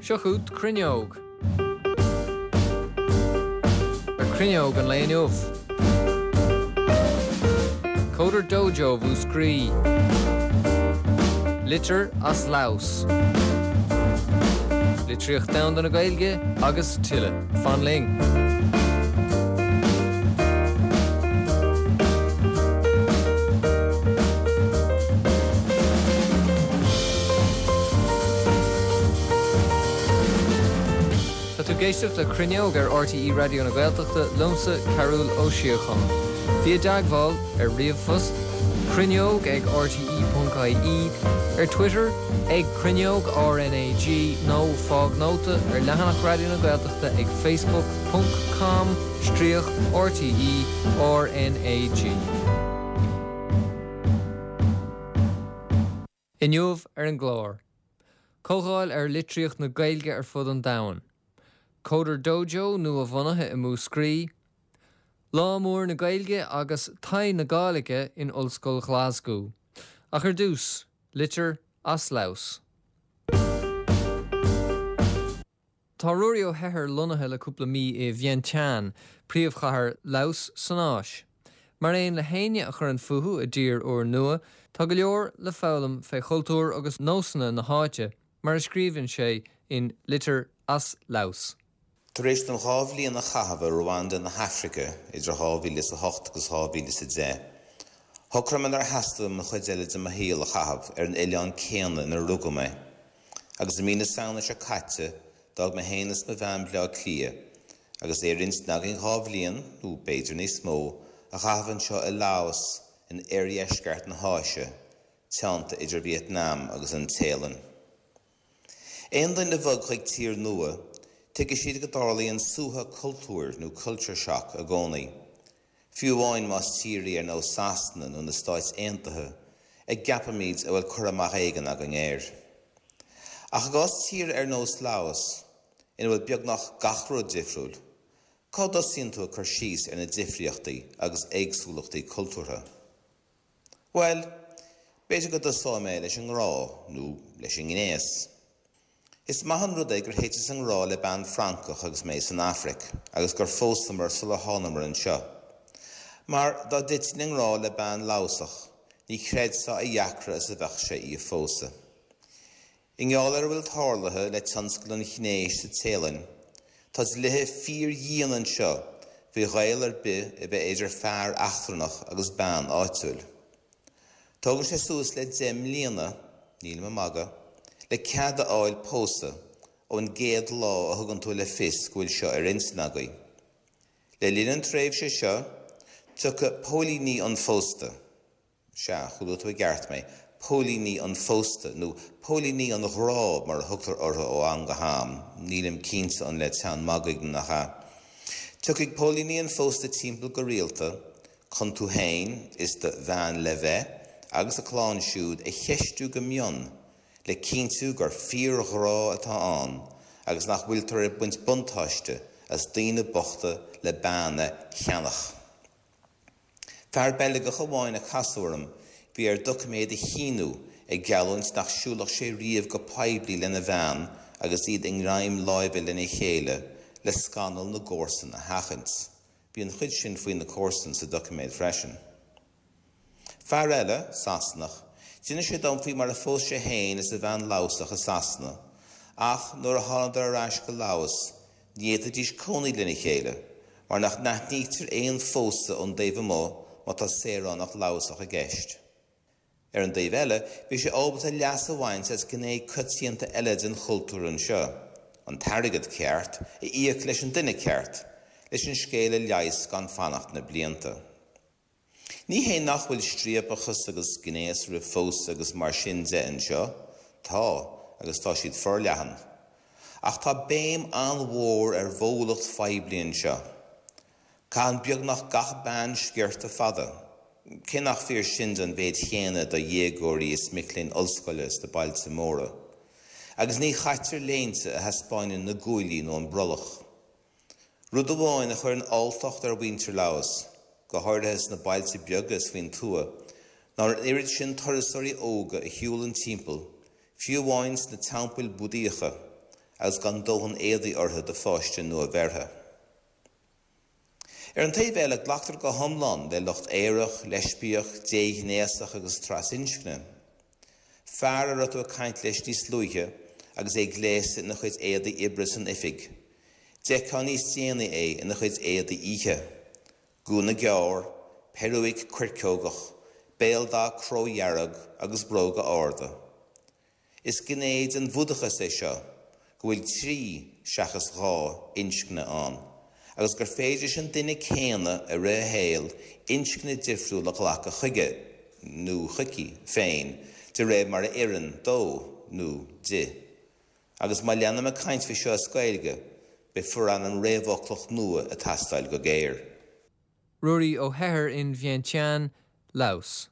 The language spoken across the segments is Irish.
Seo chugat Cruinneog. Ar Cruinneog an lae inniu. Coder Dojo Mhúscraí. Litir as Laos. Litríocht Domhanda na Gaeilge agus tuilleadh. Fan linn! Tá tú ag éisteacht le Cruinneog ar RTÉ Raidió na Gaeltachta liomsa, Cearbhall Ó Síocháin. Bí i dteagmháil ar ríomhphost, cruinneog ag rte.ie, ar Twitter, ag Cruinneog RnaG nó fág nóta ar leathanach Raidió na Gaeltachta ag facebook ponc com stríoc RTÉ RnaG. Inniu ar an gclár, Comhdháil ar litríocht na Gaeilge ar fud an domhain, Coder Dojo nua-bhunaithe i Múscraí, Lá Mór na Gaeilge agus Taigh na Gàidhlige in Ollscoil Ghlaschú. Ach ar dtús, litir as Laos. Tá Ruairí Ó hEithir lonnaithe le cúpla mí i Vientiane, príomhchathair Laos san Áis. Mar aon le héinne a chuireann fúthu i dtír úrnua, tá go leor le foghlaim fé chultúr agus nósanna na háite, mar a scríobhann sé in Litir as Laos. Tar éis dom 2 bhliain a chaitheamh i Rwanda na hAfraice idir 2008 agus 2010, shocraigh mé nár theastaigh uaim an chuid eile de mo shaol a chaitheamh ar an oileán céanna inar rugadh mé. Agus i mí na Samhna seo caite, d'fhág mé féin is mo bhean Baile Átha Cliath, agus é ar intinn againn 2 bhliain, nó b'fhéidir níos mó, a chaitheamh anseo i Laos, in oirdheisceart na hÁise, teannta idir Vietnam agus an Téalainn. Aon duine a bhog chuig tír nua, tuigfidh siad go dtarlaíonn suaitheadh cultúir nó culture shock i gcónaí. Fiú amháin más tír í ar nós Sasana nó na Stáit Aontaithe, a gceapaimid a bhfuil cur amach éigin againn air. Ach i gcás tíre ar nós Laos, ina bhfuil beagnach gach rud difriúil, cá dtosaíonn tú ag cur síos ar na difríochtaí agus éagsúlachtaí cultúrtha? Bhuel, b'fhéidir go dtosóidh mé leis an ngrá, nó leis an ngnéas. Is maith an rud é gur thiteas i ngrá le bean Francach agus mé san Afraic, agus gur phósamar sular thánamar anseo. Mar dá dtitfinn i ngrá le bean Laosach, ní chreidfeá a dheacra is a bheadh sé í a phósadh. I ngeall ar a bhfuil tarlaithe le tionscal an ghnéis sa Téalainn, tá dlíthe fíordhian anseo faoi ghaol ar bith a bheith idir fear eachtrannach agus bean áitiúil. Tógann sé suas le 10 mbliana, nílim ag magadh, le cead a fháil pósadh ón gcéad lá a thugann tú le fios go bhfuil seo ar intinn agaibh. Le linn an tréimhse seo, tiocfaidh póilíní an phósta. Sea, chuala tú i gceart mé, póilíní an phósta, nó póilíní an ghrá mar a thugtar orthu ó am go ham, nílim cinnte an le teann magaidh nó nach ea. Tiocfaidh póilíní an phósta timpeall go rialta chun tú féin is do bhean le bheith agus a clann siúd a cheistiú go mion le cinntiú gur fíorghrá atá ann agus nach bhfuiltear ag baint buntáiste as daoine bochta le bean a cheannach. Fear Beilgeach amháin a casadh orm, bhí air doiciméad a shíniú ag geallúint nach siúlfadh sé riamh go poiblí lena bhean agus iad i ngreim láimhe lena chéile le scannal na gcomharsan a sheachaint. Bhí an chuid sin faoi na comharsain sa doiciméad freisin. Fear eile, Sasanach, d'inis sé dom faoi mar a phós sé féin is a bhean Laosach i Sasana ach nuair a thánadar ar ais go Laos Ní fhéadfaidís cónaí lena chéile, mar nach n-aithnítear aon phósadh ón dtaobh amuigh má tá saoránach Laosach i gceist. Ar an dtaobh eile, bhí sé ábalta leas a bhaint as gné coitianta eile den chultúr anseo, an t-airgead ceart a íoc leis an duine ceart, leis an scéal a leigheas gan fanacht na blianta. Ní hé nach bhfuil striapachas agus gnéas roimh phósadh agus mar sin de anseo, tá, agus tá siad forleathan. Ach tá béim an-mhór ar mhólacht phoiblí anseo. Caitheann beagnach gach bean sciorta fada, cé nach fíor sin don mhéid chéanna do dhéagóirí is mic léinn ollscoile sna bailte móra. Agus ní chaitear léinte a thaispeáineann na guaillí nó an brollach. Rud amháin a chuireann alltacht ar mhuintir Laos, go háirithe sna bailte beaga is faoin tuath, ná an oiread sin turasóirí óga a shiúlann timpeall, fiú amháin sna teampaill Búdaíocha, agus gan dóthain éadaí orthu do pháiste nua-bheirthe. Ar an taobh eile, glactar go hiomlán le lucht aerach, leispiach, déghnéasach agus trasinscne. Fear a raibh tú ag caint leis níos luaithe agus é gléasta ina chuid éadaí oibre san oifig, d'fheicfeá níos déanaí é ina chuid éadaí oíche. Gúna gearr, peiriúic coirceogach, béaldath cródhearg agus bróga arda. Is gné den Bhúdachas é seo go bhfuil 3, seachas 2, inscne ann, agus gur féidir leis an duine céanna i rith a shaoil inscne difriúil a ghlacadh chuige, nó chuici, féin de réir mar a oireann dó, nó di. Agus má leanaim ag caint faoi seo as Gaeilge, beidh forainm réamhfhoclach nua ag teastáil go géar. Ruairí Ó hEithir in Vientiane, Laos.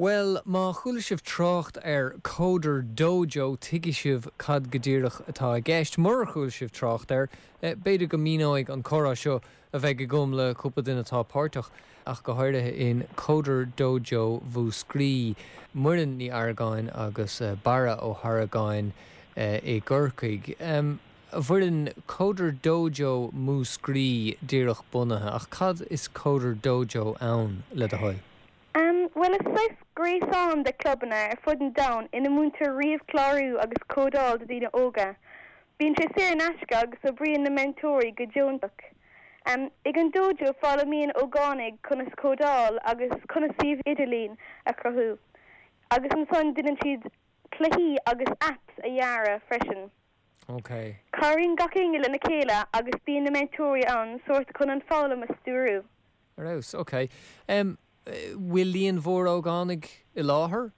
Bhuel, má chuala sibh trácht ar Coder Dojo, tuigfidh sibh cad go díreach atá i gceist. Murar chuala sibh trácht air, b'fhéidir go míneoidh an comhrá seo a bheidh agam le cúpla duine atá páirteach, ach go háirithe, in Coder Dojo Mhúscraí, Muireann Ní Argáin agus Barra Ó hArgáin i gCorcaigh. A Mhuireann, Coder Dojo Mhúscraí díreach bunaithe, ach cad is Coder Dojo ann, le do thoil? Bhuel, is saghas gréasán de clubanna ar fud an domhain ina múintear ríomhchlárú agus códáil do daoine óga. Bíonn sé saor in aisce agus oibríonn na meantóirí go deonach. Ag an dojo foghlaimíonn ógánaigh conas códáil agus conas suíomh idirlín a chruthú agus ansan déanann siad cluichí agus apps a dhearadh freisin. Ok. Cabhraíonn gach éinne lena chéile agus bíonn na meantóirí ann sórt chun an foghlaim a stiúrú. Ar fheabhas, ok. Bhfuil líon mhór ógánaigh i láthair?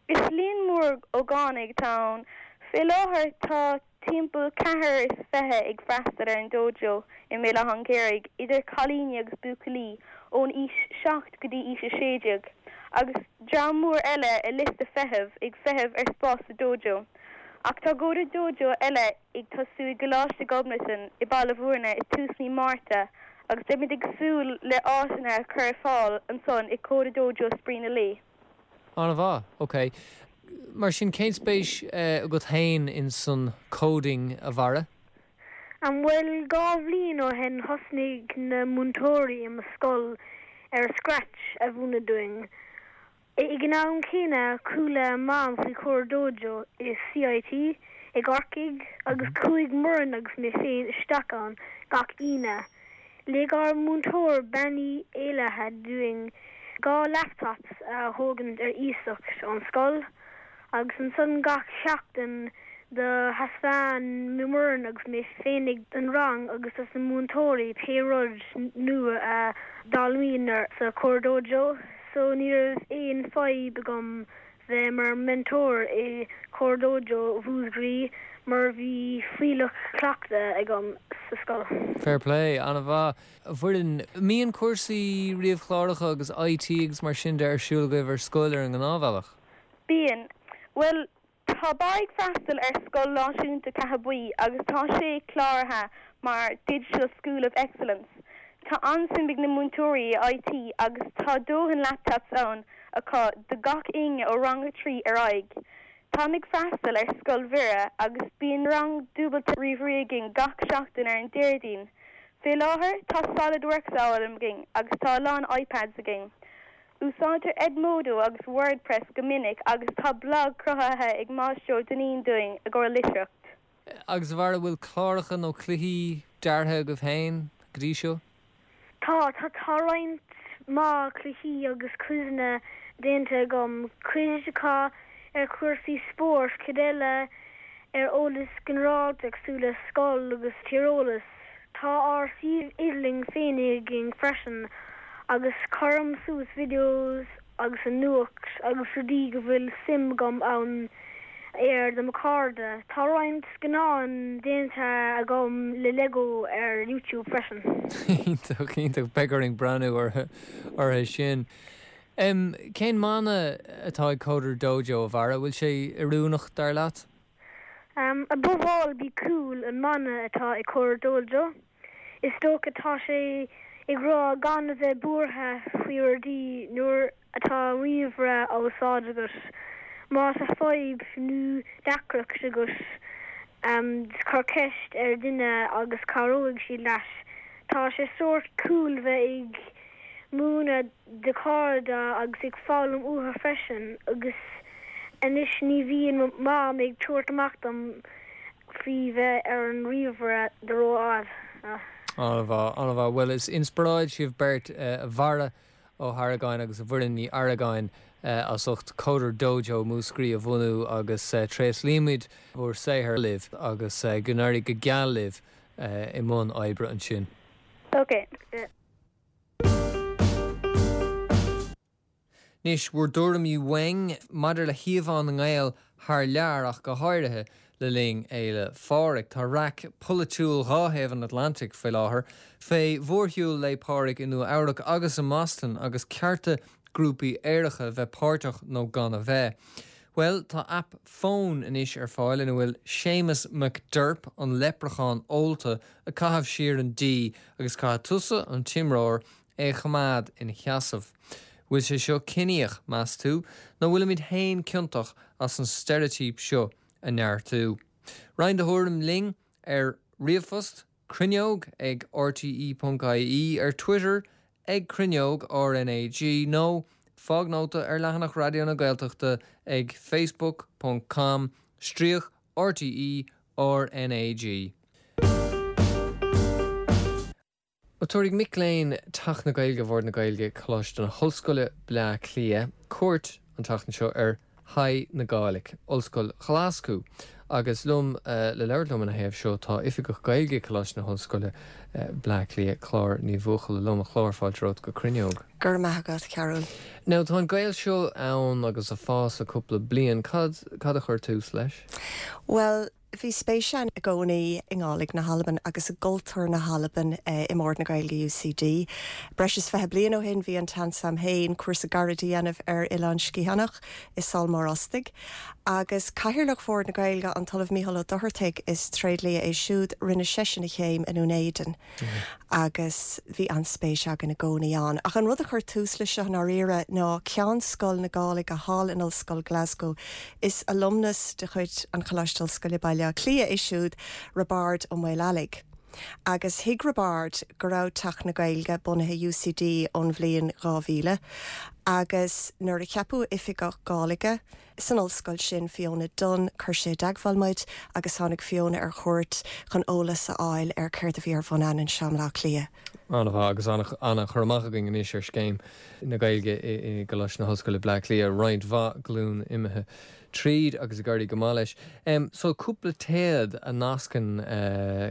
Is líon mór ógánaigh atá ann. Fé láthair tá timpeall 24 ag freastal ar an dojo i mBéal Átha an Ghaorthaidh, idir cailíní agus buachaillí ón aois 7 go dtí aois 16, agus dream mór eile ar liosta feithimh, ag feitheamh ar spás sa dojo. Ach tá Coder Dojo eile ag tosú i gColáiste Ghobnatan i Baile Bhúirne i tús mí Márta agus beimid ag súil le áiteanna a chur ar fáil ansan i Coder Dojo Spraoi na Laoi. An-mhaith, ok. Mar sin, cén spéis agat féin in san coding, a Bharra? Bhuel, 2 bhliain ó shin thosnaigh na múinteoirí i mo scoil ar Scratch a mhúineadh dúinn. Ag an am céanna, chuala Mam faoi Coder Dojo i CIT i gCorcaigh agus chuaigh Muireann agus mé féin isteach ann gach Aoine. Lig ár múinteoir Bean Uí Éalaithe dúinn 2 laptops a thógaint ar iasacht ón scoil agus ansan gach seachtain do thaispeáin Muireann agus mé féinig don rang agus dos na múinteoirí pé rud nua a d'fhoghlaimíomar sa Coder Dojo so ní raibh aon fadhb agam bheith mar mentor i Coder Dojo Mhúscraí mar bhí fuílleach cleachtadh agam sa scoil. Fair play, an-mhaith. A Mhuireann, mbíonn cúrsaí ríomhchláracha agus IT agus mar sin de ar siúl agaibh ar scoil ar an ngnáthbhealach? Bíonn. Bhuel, Tá Barra ag freastal ar Scoil Náisiúnta Ceatha Buí agus tá sé cláraithe mar Digital School of Excellence. Tá an-suim ag na múinteoirí i IT agus tá dóthain laptops ann acu do gach éinne ó rang 3 ar aghaidh. Táim ag freastal ar Scoil Mhuire agus bíonn rang dúbailte ríomhairí againn gach seachtain ar an Déardaoin. Fé láthair tá SolidWorks á fhoghlaim againn agus tá a lán iPads againn. Úsáidtear Edmodo agus WordPress go minic agus tá blag cruthaithe ag Máistir Ó Duinnín dúinn i gcomhair litríocht. Agus a Bharra, bhfuil cláracha nó cluichí deartha agaibh féin go dtí seo? Tá, tá, tá roinnt mhaith cluichí agus quizeanna déanta agam, cuid acu ar chúrsaí spóirt, cuid eile ar eolas ginearálta cosúil le scoil agus tíreolas. Tá ár suíomh idirlín féin againn freisin agus cuirim suas videos agus an nuacht agus rudaí go bhfuil suim agam ann air do mo chairde. Tá roinnt scannán déanta agam le Lego ar YouTube freisin. Iontach, iontach. Beidh orainn breathnú orthu sin. Cén mana atá ag Coder Dojo, a Bharra? Bhfuil sé oiriúnach, dar leat? Above all be cool an mana atá ag Coder Dojo. Is dócha tá sé ag rá gan a bheith buartha faoi rudaí nuair atá ríomhaire á úsáid agat. Má tá fadhb nó deacracht agat, cuir ceist ar duine agus cabhróidh siad leat. Tá sé sórt cool bheith ag múineadh do chairde agus ag foghlaim uathu freisin agus anois ní bhíonn mo mham ag tabhairt amach dom faoi bheith ar an ríomhaire do rófhada. An-mhaith, an-mhaith. Bhuel, is inspioráid sibh beirt, a Bharra Ó hArgáin agus a Mhuireann Ní Argáin, as ucht Coder Dojo Múscraí a bhunú agus tréaslaímid bhur saothar libh agus go n-éirí go geal libh i mbun oibre ansin. Ok. Anois, bhur dtuairimí uainn maidir le híomhá na nGael thar lear ach go háirithe le linn Fhéile Phádraig. Tá raic pholaitiúil dhá thaobh an Atlantaigh faoi láthair fé mhórshiúl Lae Pádraig i Nua Eabhrac agus i mBoston agus cearta grúpaí aeracha bheith páirteach nó gan a bheith. Bhuel, tá aip fóin anois ar fáil ina bhfuil Séamus McDerp, an leipreachán ólta, ag caitheamh siar an dí agus caithfidh tusa, an t-imreoir, é a choimeád ina sheasamh. Bhfuil sé seo ciníoch, meas tú, nó bhfuilimid féin ciontach as an steiréitíop seo a neartú? Roinn do thuairim linn ar ríomhphost, cruinneog ag rte.ie, ar Twitter ag cruinneog RnaG nó fág nóta ar leathanach Raidió na Gaeltachta ag facebook ponc com stríoc RTÉ RnaG. Tabharfaidh mic léinn Teach na Gaeilge Bhord na Gaeilge, Coláiste na hOllscoile, Bleá Cliath, cuairt an tseachtain seo ar Thigh na Gàidhlig, Ollscoil Ghlaschú. Agus liom le labhairt liom ina thaobh seo tá Oifigeach Gaeilge Coláiste na hOllscoile, Bleá Cliath, Clár Ní Bhuachalla liom. A Chlár, fáilte romhat go Cruinneog. Go raibh maith agat, a Chearúil. Now tá an gaol seo ann agus ag fás le cúpla bliain. Cad, cad a chuir tús leis? Bhuel, Bhí spéis againn i gcónaí i nGàidhlig na hAlban agus i gcultúr na hAlban i mBord na Gaeilge UCD. Breis is 20 bliain ó shin bhí an tseans a'm féin cúrsa gairid a dhéanamh ar Oileán Sgitheanach i Sabhal Mòr Ostaig. Agus Cathaoirleach Bhord na Gaeilge, an tOllamh Mícheál Ó Dochartaigh, is tréidlia é siúd, rinne seisean a chéim i nDún Éideann. agus bhí an-spéis againn i gcónaí ann. Ach an rud a chuir tús leis seo i ndáiríre ná Ceann Scoil na Gàidhlige thall in Ollscoil Glasgow. Is alumnus de chuid an Choláiste Ollscoile Baile Átha Cliath é siúd, Roibeárd Ó Maoileallaigh. Agus thuig Roibeárd go raibh Teach na Gaeilge bunaithe i UCD ón bhliain 2000 agus nuair a ceapadh Oifigeach Gàidhlige, San ollscoil sin, Fiona Dunne, chuir sé i dteagmháil muid agus tháinig Fiona ar chuairt chun eolas a fháil ar céard a bhí ar bhun a'inn anseo i mBleá Cliath. An-mhaith agus an-chur amach againn anois ar scéim na Gaeilge i gColáiste na hOllscoile Bleá Cliath, roinnt mhaith glún imithe tríd agus ag éirí go maith leis. So cúpla téad a nascann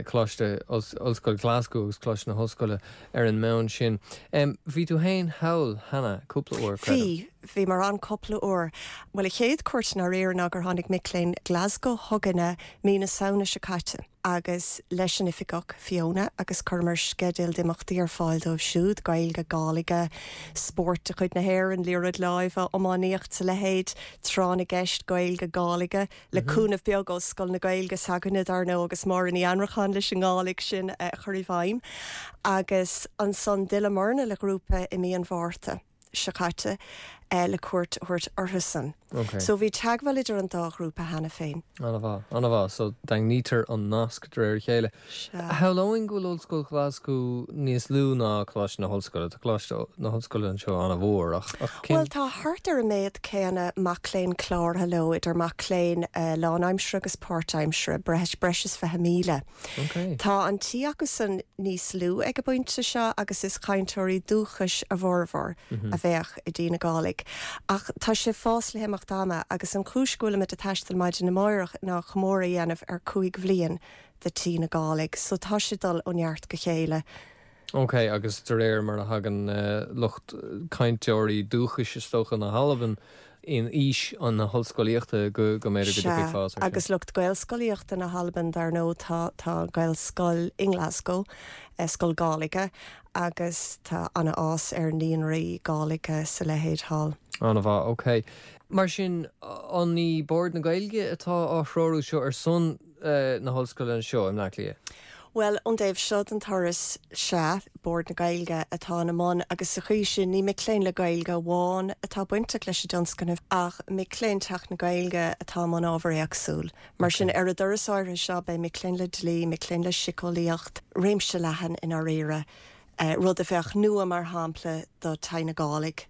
Coláiste Ollscoil Glasgow agus Coláiste na hOllscoile ar an mbonn sin. Bhí tú féin thall cheana cúpla uair, creidim? Bhí. Bhíomar ann cúpla uair. Bhuel, an chéad cuairt i ndáiríre ná gur tháinig mic léinn Glasgow chugainne mí na Samhna seo caite agus leis an oifigeach, Fiona, agus chuireamar sceideal d'imeachtaí ar fáil dóibh siúd, Gaeilge, Gàidhlige, spórt de chuid na hÉireann, liathróid láimhe, iománaíocht 's a leithéid, tráth na gceist, Gaeilge, Gàidhlige, le cúnamh beag ó Scoil na Gaeilge s'againne, dar ndóigh, agus Máire Ní Annracháin leis an nGàidhlig sin a chur i bhfeidhm. Agus ansan d'fhilleamarna le grúpa i mí an Mhárta. seo caite le cuairt a thabhairt orthusan. Ok. So bhí teagmháil idir an dá ghrúpa cheana féin. An-mhaith, an-mhaith. So daingnítear an nasc de réir a chéile. Sea. Shamhlóinn go bhfuil Ollscoil Ghlaschú níos lú ná Coláiste na hOllscoile. Tá Coláiste na hOllscoile anseo an-mhór ach, ach cén. Bhuel, tá thart ar an méad céanna mac léinn cláraithe leo, idir mac léinn lánaimseartha agus páirtaimseartha, breis, breis is 20,000. Ok. Tá an tí acusan níos lú ag an bpointe seo agus is cainteoirí dúchais a bhformhór a bheadh i dTí na Gàidhlig. Ach tá sé ag fás le himeacht ama agus an chúis go bhfuilimid ag taisteal maidin amáireach ná comóradh a dhéanamh ar 5 bhliain de Tí na Gàidhlig. So tá sé ag dul ó neart go chéile. Ok, agus de réir mar a thagann lucht cainteoirí dúchais, is dócha, na hAlban in aois na hollscolaíochta go mb'fhéidir go dtiocfaidh fás air sin. Sea, agus lucht Gaelscolaíochta na hAlban, dar ndóigh, tá tá Gaelscoil i nGlasgow, scoil Gàidhlige, agus tá an-fhás ar naíonraí Gàidhlige 's a leithéid thall. An-mhaith, ok. Mar sin, an í Bord na Gaeilge atá á threorú seo ar son na hollscoile anseo i mBleá Cliath? Bhuel, ón dtaobh seo den turas, sea, Bord na Gaeilge atá ina mbun agus sa chaoi sin ní mic léinn le Gaeilge amháin atá bainteach leis an dtionscnamh ach mic léinn Teach na Gaeilge atá i mbun ábhar éagsúil. Mar sin, ar an dturas áirithe seo beidh mic léinn le dlí, mic léinn le síceolaíocht, réimse leathan i ndáiríre, rud a bheadh nua mar shampla do Taigh na Gàidhlig.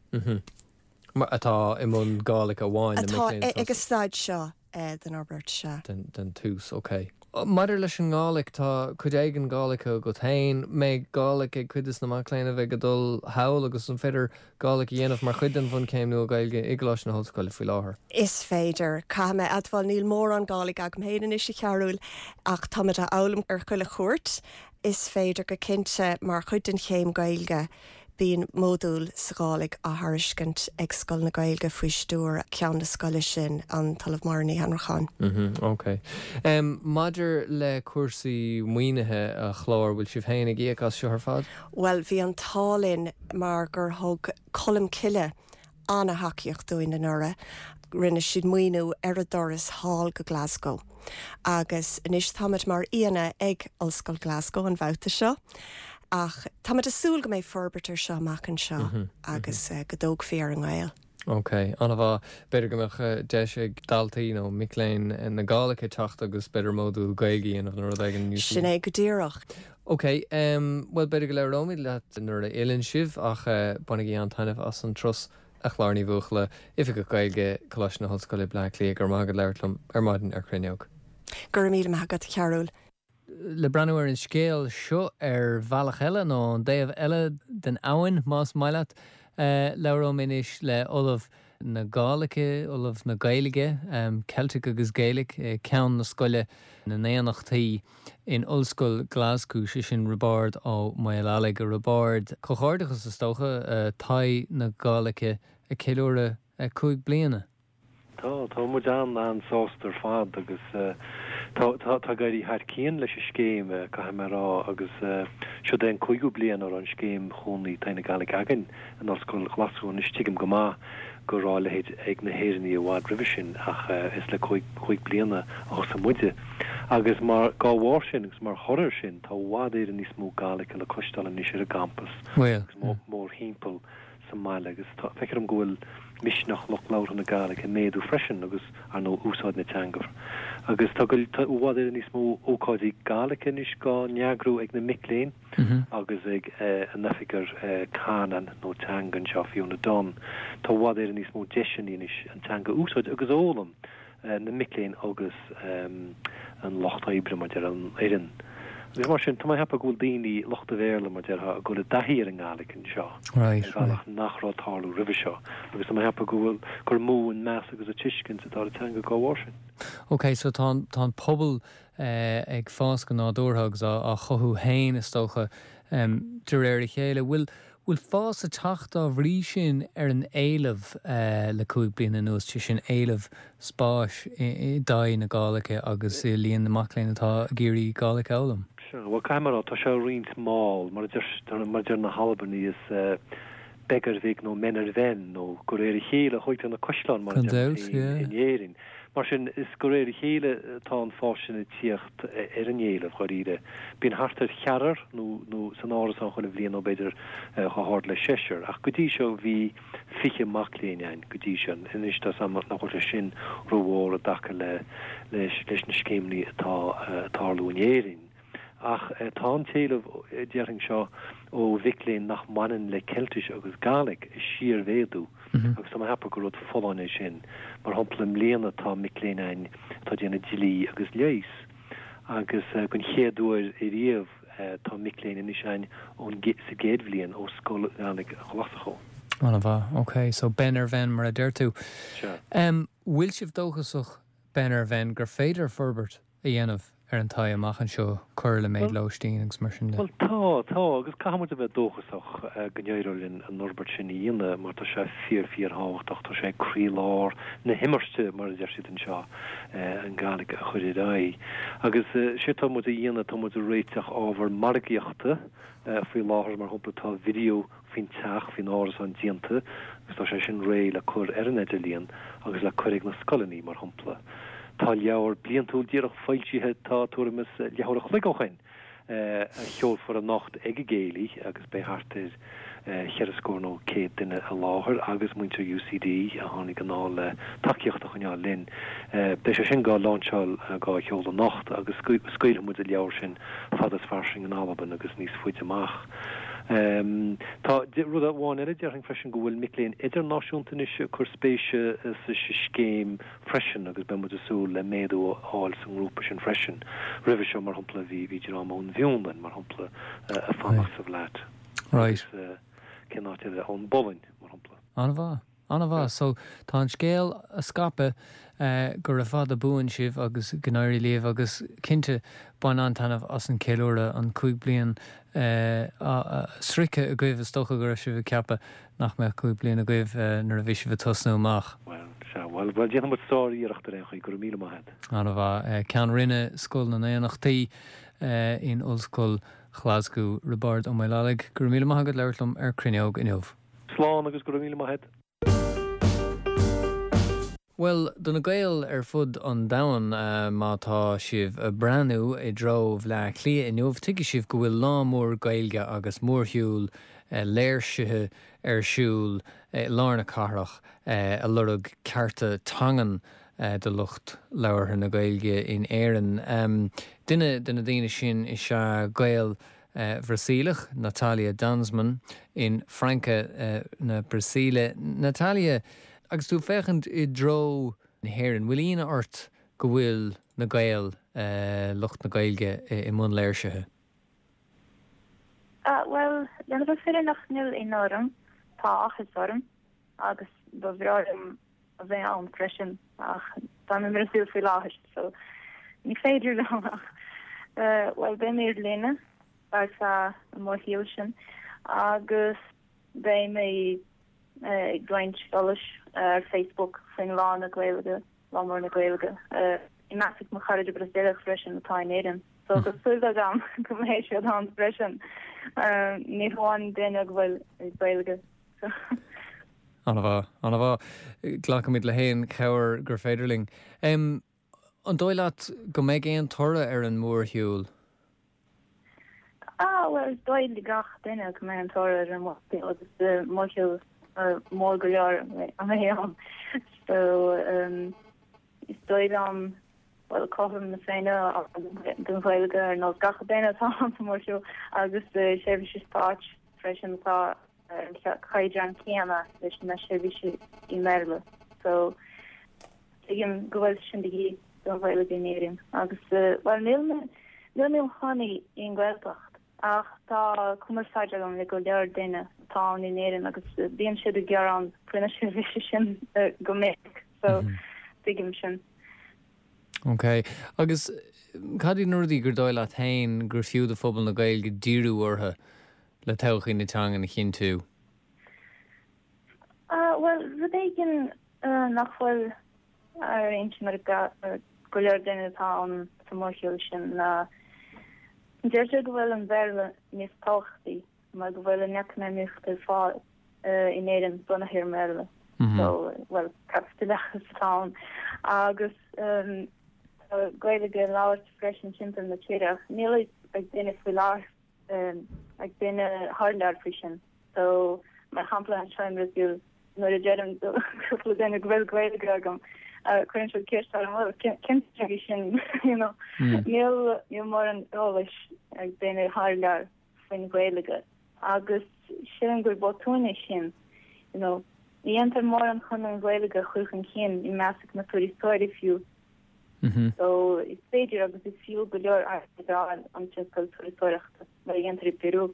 Atá i mbun Gàidhlig amháin, na mic léinn. Atá ag an staid seo. den fhorbairt, sea. den tús, ok. Maidir leis an nGàidhlig, tá cuid éigin Gàidhlig agat féin. Mbeidh Gàidhlig ag cuid de na mac léinn a bheidh ag dul thall agus an féidir Gàidhlig a dhéanamh mar chuid den bhunchéim nua Gaeilge i gColáiste na hOllscoile faoi láthair? Is féidir. Caithfidh mé admháil, níl mórán Gàidhlig agam féin anois, a Chearúil, ach táimid á fhoghlaim ar chuile chuairt. Is féidir go cinnte, mar chuid den chéim Gaeilge. Bíonn módúl sa Ghàidhlig á thairiscint ag Scoil na Gaeilge faoi stiúir ceann na scoile sin, an tOllamh Máire Ní Annracháin. Ok. Maidir le cúrsaí maoinithe, a Chláir, bhfuil sibh féin ag íoc as seo ar fad? Bhuel, bhí an t-ádh linn mar gur thug Colmcille an-thacaíocht dúinn anuraidh. Rinne siad maoiniú ar an dturas thall go Glasgow agus anois táimid mar aíonna ag Ollscoil Glasgow an babhta seo ach táimid ag súil go mbeidh forbairt ar seo amach anseo agus go dtógfaí ar an ngaol. Ok, an-mhaith. B'fhéidir go mbeadh deis ag daltaí nó mic léinn na Gàidhlige teacht agus b'fhéidir módúl Gaeilge a dhéanamh nó rud éigin. Sin é go díreach. Ok, bhuel b'fhéidir go labhróimid leat nuair a fhilleann sibh ach bainigí an-taitneamh as an turas a Chláir Ní Bhuachalla, Oifigeach Gaeilge, Coláiste na hOllscoile, Bleá Cliath, go raibh maith agat labhairt liom ar maidin ar Cruinneog. Go raibh míle maith agat, a Chearúil. Le breathnú ar an scéal seo ar bhealach eile, nó ón dtaobh eile den abhainn, más maith leat, labhróidh mé anois le Ollamh na Gàidhlige, Ollamh na Gaeilge, Celtic agus Gaelic, Ceann na Scoile na nDaonnachtaí in Ollscoil Ghlaschú, sé sin Roibeárd Ó Maolalaigh. A Roibeáird, comhghairdeachas is dócha, Taigh na Gàidhlige ag ceiliúradh 5 bliana. Tá, tá muid an-an-sásta ar fad agus tá, tá, tá ag éirí thar cionn leis an scéim, caithfidh mé a rá, agus siod é an cúigiú bliain a raibh an scéim Chónaí Taigh na Gàidhlig againn in Ollscoil Ghlaschú. Anois tuigim go maith go raibh a leithéid ag na hÉireannaigh i bhfad roimhe sin ach is le cúig bliana a thosaigh muide. Agus mar, dá bharr sin agus mar thoradh air sin, tá i bhfad Éireann níos mó Gàidhlig le cloisteáil anois ar an gcampas agus mórthimpeall sa mbaile agus tá, feictear dom go bhfuil misneach lucht labhartha na Gàidhlig ag méadú freisin agus, ar ndóigh, úsáid na teanga. Agus tá, tá i bhfad Éireann níos mó ócáidí Gàidhlig anois dhá n-eagrú ag na mic léinn. agus ag an Oifigeach Canann nó Teanga anseo, Fiona Dunne. Tá i bhfad Éireann níos mó deiseanna anois an teanga a úsáid agus a fhoghlaim, na mic léinn agus an lucht oibre, mar déarfá, an fhoireann. Agus mar sin, tá mé ag ceapadh go bhfuil daoine, lucht an Bhéarla, mar déarfá, ag dul i dtaithí ar an nGàidhlig anseo ar bhealach nach raibh ag tarlú roimhe seo. Agus tá mé ag ceapadh go bhfuil, gur mó an meas agus an tuiscint atá ar an teanga dá bharr sin. Ok, so tá an, tá an pobal ag fás go nádúrtha agus á chothú féin, is dócha, de réir a chéile. Bhfuil bhfuil fás ag teacht dá bhrí sin ar an éileamh le 5 bliana anuas, sé sin éileamh spáis i dTigh na Gàidhlige agus i líon na mac léinn atá ag iarraidh Gàidhlig a fhoghlaim? Sea, bhuel, caithfidh mé a rá, tá sé roinnt mall, mar a deir mar a deir na hAlbanaigh, is beag ar bhig nó men ar bhen, nó de réir a chéile a thóigtear na caisleáin, mar a Gan deir dabht, muid féin yeah. in Éirinn. Mar sin, is de réir a chéile atá an fás sin ag tíocht ar an éileamh, dháiríre. Bíonn thart ar cheathrar nó nó san árasán chuile bhliain nó b'fhéidir chomh hard le seisear. Ach go dtí seo bhí 20 mac léinn ann go dtí seo. Anois tá 's a'm nach bhfuil sé sin rómhór i dtaca le leis leis na scéimeanna atá ag tarlú in Éirinn. Ach tá an t-éileamh, déarfainn seo, ó mhic léinn nach mbaineann le Ceiltis agus Gàidhlig ag síormhéadú agus tá mé ag ceapadh gur rud folláin é sin. Mar shampla, i mbliana tá mic léinn ann atá ag déanamh dlí agus leighis agus den chéad uair ariamh tá mic léinn anois ann ón sa gcéad bhliain ó Scoil Ghàidhlig Ghlaschú. An-mhaith. Ok, so ben ar bhen mar a deir tú. Sea. Bhfuil sibh dóchasach ben ar bhen gur féidir forbairt a dhéanamh ar an Tigh amach anseo, cur le méid lóistín agus mar sin de. Bhuel, tá, tá, agus caithfidh muid a bheith dóchasach go n-éireoidh linn an fhorbairt sin a dhéanamh mar tá sé fíor, fíor-thábhachtach, tá sé ag croílár na himirce, mar a deir siad anseo, an Gàidhlig a chur ar aghaidh. Agus séard tá muid a dhéanamh, tá muid ag réiteach ábhar margaíochta faoi láthair, mar shampla tá video faoin teach, faoin árasán déanta agus tá sé sin réidh le cur ar an idirlíon agus le cur ag na scoileanna, mar shampla. Tá leabhar bliantúil díreach foilsithe, tá tuairim is leathuair a chloig ó shin. A sheolfar anocht ag an gcéilí agus beidh thart ar cheithre scór nó 100 duine i láthair agus muintir UCD a tháinig anall le tacaíocht a choinneáil linn. Beidh sé sin dhá láinseáil, dhá sheoladh anocht agus scaoilfidh muid an leabhar sin fada is fairsing in Albain agus níos faide amach. Tá rud amháin eile déarfainn freisin go bhfuil mic léinn idirnáisiúnta anois ag cur spéise sa scéim freisin agus beidh muid ag súil le méadú a fháil sa ngrúpa sin freisin. Roimhe seo, mar shampla, bhí bhí dream ón bhFionlainn, mar shampla, ag fanacht sa bhflat. Right. Agus cén áit eile? Ón bPolainn, mar shampla. An-mhaith. An-mhaith. So, tá an scéal á scaipeadh gura fada buan sibh agus go n-éirí libh agus cinnte bain an-taitneamh as an cheiliúradh, an 5 bliain sroichte agaibh is dócha go raibh sibh ag ceapadh nach mbeadh 5 bliana agaibh nuair a bhí sibh ag tosnú amach. Bhuel, sea, bhuel, bhuel, déanfaidh muid sár-iarracht ar aon chaoi, go raibh míle maith agat. An-mhaith. Ceann Roinne Scoil na nDaonnachtaí in Ollscoil Ghlaschú, Roibeárd Ó Maoileallaigh, go raibh míle maith agat labhairt liom ar Cruinneog inniu. Slán agus go raibh míle maith agat. Bhuel, do na Gaeil ar fud an domhain, má tá sibh ag breathnú i dtreo Bhleá Cliath inniu, tuigfidh sibh go bhfuil lá mór Gaeilge agus mórshiúl léirsithe ar siúl i lár na cathrach ag lorg cearta teangan do lucht labhartha na Gaeilge in Éirinn. Duine de na daoine sin is ea Gael Bhrasaíleach, Natalia Danzmann, in Franca na Brasaíle. Natalia, agus tú ag féachaint i dtreo na hÉireann, bhfuil ionadh ort go bhfuil na Gaeil, lucht na Gaeilge, i mbun léirsithe? Bhuel, lena bheith fírinneach, níl ionadh orm. Tá áthas orm agus ba bhreá liom a bheith ann freisin ach táim i mBrasaíl faoi láthair so ní féidir liom ach bhuel beidh mé ar líne ar feadh an mhórshiúil sin agus beidh mé ag roinnt eolais ar Facebook faoin Lá na Gaeilge, Lá Mór na Gaeilge, i measc mo chairde Brasaíleach freisin atá in Éirinn so tá súil agam go mbeidh siad ann freisin ní hamháin daoine go bhfuil Gaeilge so. An-mhaith, an-mhaith. Glacfaimid le haon chabhair gur féidir linn. An dóigh leat go mbeidh aon toradh ar an mórshiúl? Ah, bhuel, is dóigh le gach duine go mbeidh an toradh ar an mórshiúl agus mórshiúl mór go leor a mbeidh ann. So, is dóigh liom, bhuel, cothrom na Féinne don Ghaeilge ar nós gach duine atá ann sa mórshiúl agus seirbhísí stáit freisin atá ar an chaighdeán céanna leis na seirbhísí i mBéarla. So, tuigim go bhfuil sin de dhíth don Ghaeilge in Éirinn. Agus, bhuel, níl mé, níl mé i mo chónaí i nGaeltacht ach tá cumarsáid agam le go leor daoine atá ann in Éirinn agus bíonn siad ag gearán faoi na seirbhísí sin go minic. So, tuigim sin. Ok. Agus cad iad na rudaí gur dóigh leat féin gur fiú do phobal na Gaeilge díriú orthu le todhchaí na teangan a chinntiú? Bhuel, rud éigin nach bhfuil ar intinn ag go leor daoine atá ann sa mórshiúl sin ná deirtear go bhfuil an Béarla níos tábhachtaí mar go bhfuil an eacnamaíocht ar fad in Éirinn bunaithe ar an mBéarla. So, bhuel, caipitileachas atá ann agus tá Gaeilge á labhairt freisin timpeall na tíre ach níl a fhios ag duine faoi láthair ag duine thar lear faoi sin. So, mar shampla anseo i mBrasaíl, nuair a deirim do cúpla duine go bhfuil Gaeilge agam, cuireann siad ceist orm, well, cén teanga í sin, you know. Níl, níl mórán eolais ag daoine thar lear faoin Ghaeilge agus sílim gur botún é sin, you know. Ní dhéantar mórán chun an Ghaeilge a chur chun cinn i measc na turasóirí fiú. So, is féidir agus is fiú go leor airgead a fháil ón tionscal turasóireachta, mar a dhéantar i bPeru.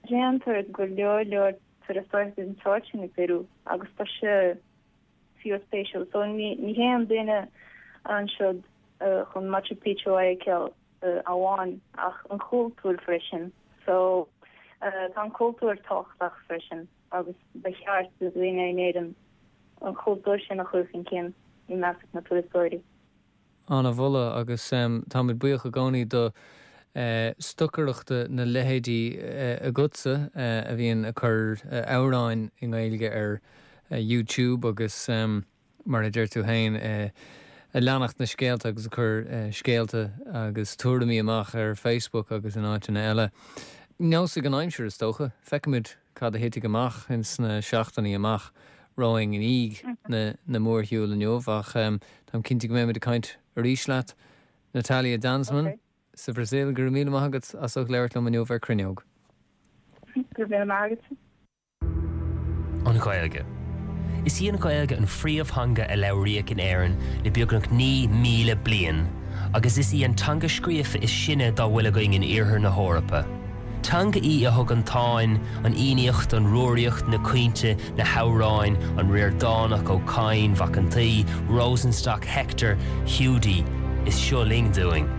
Déantar go leor leor turasóireachta den tsórt sin i bPeru agus tá sé fíorspéisiúil. So, ní théann duine ansiúd chun Machu Picchu a fheiceáil amháin ach an cultúr freisin. So, tá an cultúr tábhachtach freisin agus ba cheart do dhaoine in Éirinn an cultúr sin a chur chun cinn i measc na turasóirí. An-mholadh agus táimid buíoch i gcónaí do stocaireachta na leithéidí agatsa a bhíonn ag cur amhráin i nGaeilge ar YouTube agus mar a deir tú féin. ag leanacht na scéalta agus ag cur scéalta agus tuairimí amach ar Facebook agus in áiteanna eile. Neosfaidh an aimsir, is dócha. Feicfimid cad a thitfidh amach ins na seachtainí amach romhainn i ndiaidh na mórshiúil inniu ach táim cinnte go mbeimid ag caint arís leat, Natalia Danzmann sa Bhrasaíl. Go raibh míle maith agat as ucht labhairt liom inniu ar Cruinneog. Go raibh míle maith agat. An Ghaeilge. Is í an Ghaeilge an phríomhtheanga a labhraíodh in Éirinn le beagnach 9,000 bliain agus is í an teanga scríofa is sine dá bhfuil againn in iarthar na hEorpa. Teanga í a thug an Táin, an Fhiannaíocht, an Rúraíocht, na caointe, na hamhráin, an Ríordánach, Ó Cadhain, Mhac an tSaoi, Rosenstock, Hector, Hiúdaí is Seo Linn dúinn.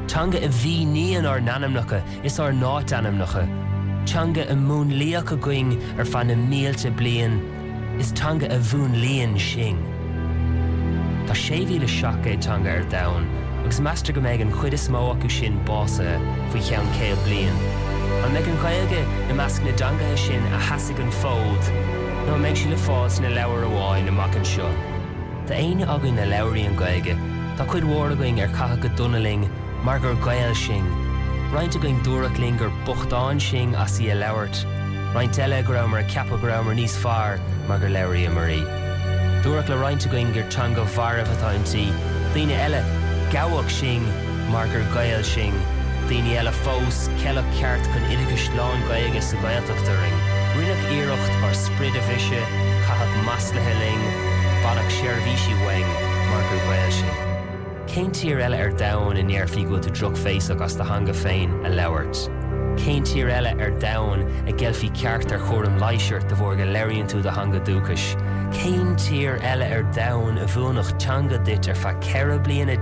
Teanga a mhíníonn ár n-ainmneacha is ár n-áitainmneacha. Teanga a múnlaíodh againn ar feadh na mílte bliain, is teanga a mhúnlaíonn sinn. Tá 6,700 teanga ar domhan agus meastar go mbeidh an chuid is mó acu sin básaithe faoi cheann 100 bliain. An mbeidh an Ghaeilge i measc na dteangacha sin a sheasfaidh an fód nó an mbeidh sí le fáil sna leabhair amháin amach anseo? Tá éinne againn a labhraíonn Gaeilge, tá cuid mhór againn ar caitheadh go dona linn mar gur Gaeil sinn. Roinnt againn dúradh linn gur bochtáin sinn as í a labhairt, roinnt eile go rabhamar ag ceapadh go rabhamar níos fearr mar gur labhraíomar í. Dúradh le roinnt againn gur teanga mharbh atá inti, daoine eile, gabhadh sinn mar gur Gaeil sinn, daoine eile fós, ceileadh ceart chun oideachais lán-Ghaeilge sa Ghaeltacht orainn. Rinneadh iarracht ár sprid a bhriseadh, caitheadh masluithe linn, baineadh seirbhísí uainn mar gur Gaeil sinn. Cén tír eile ar domhan a ndéarfaí go bhfuil tú drochbhéasach as do theanga féin a labhairt? Cén tír eile ar domhan a gceilfí ceart ar chúram leighis ort de bharr go labhraíonn tú do theanga dúchais? Cén tír eile ar domhan a mhúinfeadh teanga duit ar feadh 14 bliana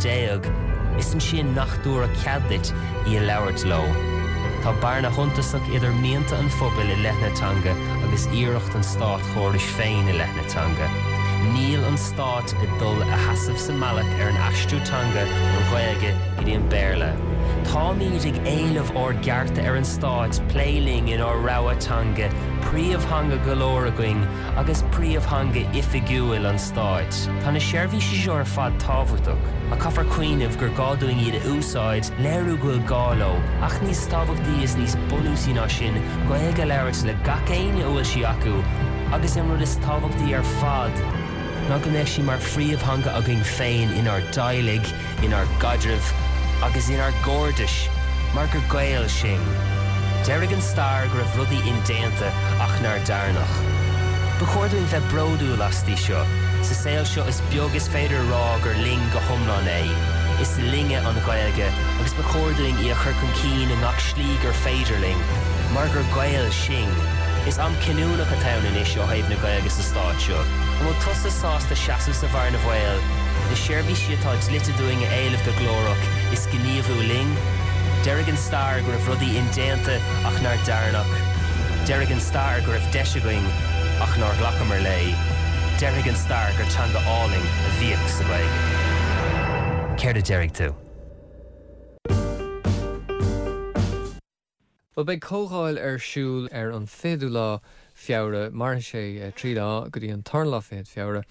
is ansin nach dtabharfadh cead duit í a labhairt leo? Tá bearna shuntasach idir mianta an phobail i leith na teanga agus iarracht an státchórais féin i leith na teanga. Níl an Stát ag dul a sheasamh sa mbealach ar an aistriú teanga ón Ghaeilge go dtí an Béarla. Táimid ag éileamh ár gcearta ar an Stát plé linn inár rogha teanga, príomhtheanga go leor againn agus príomhtheanga oifigiúil an Stáit. Tá na seirbhísí seo ar fad tábhachtach, ach caithfear cuimhneamh gur gá dúinn iad a úsáid, léiriú go bhfuil gá leo, ach níos tábhachtaí is níos bunúsaí ná sin, Gaeilge a labhairt le gach éinne a bhfuil sí acu, agus an rud is tábhachtaí ar fad, ná go mbeadh sí mar phríomhtheanga againn féin inár dteaghlaigh, inár gcaidrimh agus inár gcairdis, mar gur Gaeil sinn. Déarfaidh an stair go raibh rudaí indéanta ach nár dearnadh. Ba chóir dúinn bheith bródúil asti seo. Sa saol seo is beag is féidir a rá gur linn go hiomlán é. Is linne an Ghaeilge agus ba chóir dúinn í a chur chun cinn i ngach slí gur féidir linn, mar gur Gaeil sinn. Is am cinniúnach atá ann anois ó thaobh na Gaeilge sa stát seo. An bhfuil tusa sásta seasamh sa bhearna bhaoil, na seirbhísí atá dlite dúinn a éileamh go glórach is gníomhú linn? Déarfaidh an stair go raibh rudaí indéanta ach nár dearnadh. Déarfaidh an stair go raibh deis againn ach nár ghlacamar léi. Déarfaidh an stair gur teanga álainn a bhíodh sa Ghaeilge. Céard a déarfaidh tú? Bhuel, beidh comhdháil ar siúl ar an 20ú lá Feabhra, mairfidh sé 3 lá go dtí an tarna lá fichead Feabhra,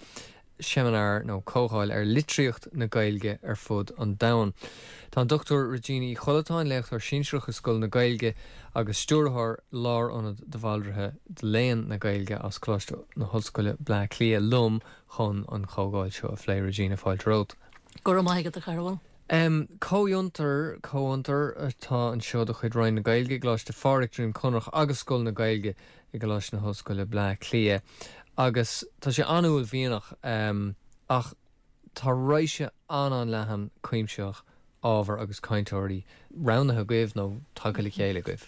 seimineár nó comhdháil ar litríocht na Gaeilge ar fud an domhain. Tá an Dr Regina Uí Chollatáin, léachtóir sinsearach i Scoil na Gaeilge agus Stiúrthóir Lárionad de Bhaldraithe do Léann na Gaeilge as Coláiste na hOllscoile Bleá Cliath liom chun an chomhdháil seo a phlé. Regina, fáilte romhat. Go raibh maith agat, a Chearbhaill. Comhfhiontar, Comhfhiontar atá anseo de chuid Roinn na Gaeilge i gColáiste Phádraig, Droim Conrach agus Scoil na Gaeilge i gColáiste na hOllscoile, Bleá Cliath agus tá sé an-uaillmhianach ach tá raidhse an-an-leathan cuimsitheach ábhar agus cainteoirí roghnaithe agaibh nó tagtha le chéile agaibh.